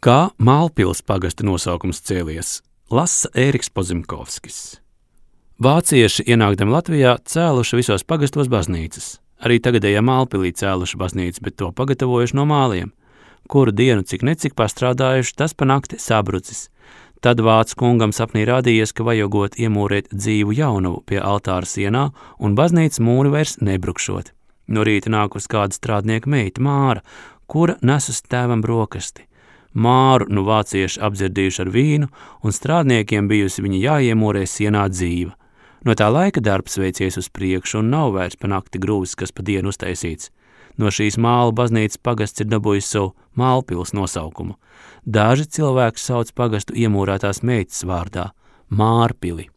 Kā Mālpils pagasta nosaukums cēlies, lasa Ēriks Pozimkovskis. Vācieši ienākdami Latvijā cēluši visos pagastos baznīcas. Arī tagadējā Mālpilī cēluši baznīcu, bet to pagatavojuši no māliem. Kuru dienu cik pastrādājuši, tas pa nakti sabrucis. Tad vācu kungam sapnī rādījies, ka vajagot iemūrēt dzīvu jaunavu pie altāra sienā un baznīcas mūri vairs nebrukšot. No rīta nākus kāda strādnieka meita Māra, kura nesus tēvam brokasti. Māru nu vācieši apdzirdījuši ar vīnu, un strādniekiem bijusi viņa jāiemūrē sienā dzīva. No tā laika darbs veicies uz priekšu un nav vairs pa nakti grūvis, kas pa dienu uztaisīts. No šīs Mālu baznīcas pagasts ir dabūjis savu Mālpils nosaukumu. Daži cilvēki sauc pagastu iemūrētās meitas vārdā – Mārpili.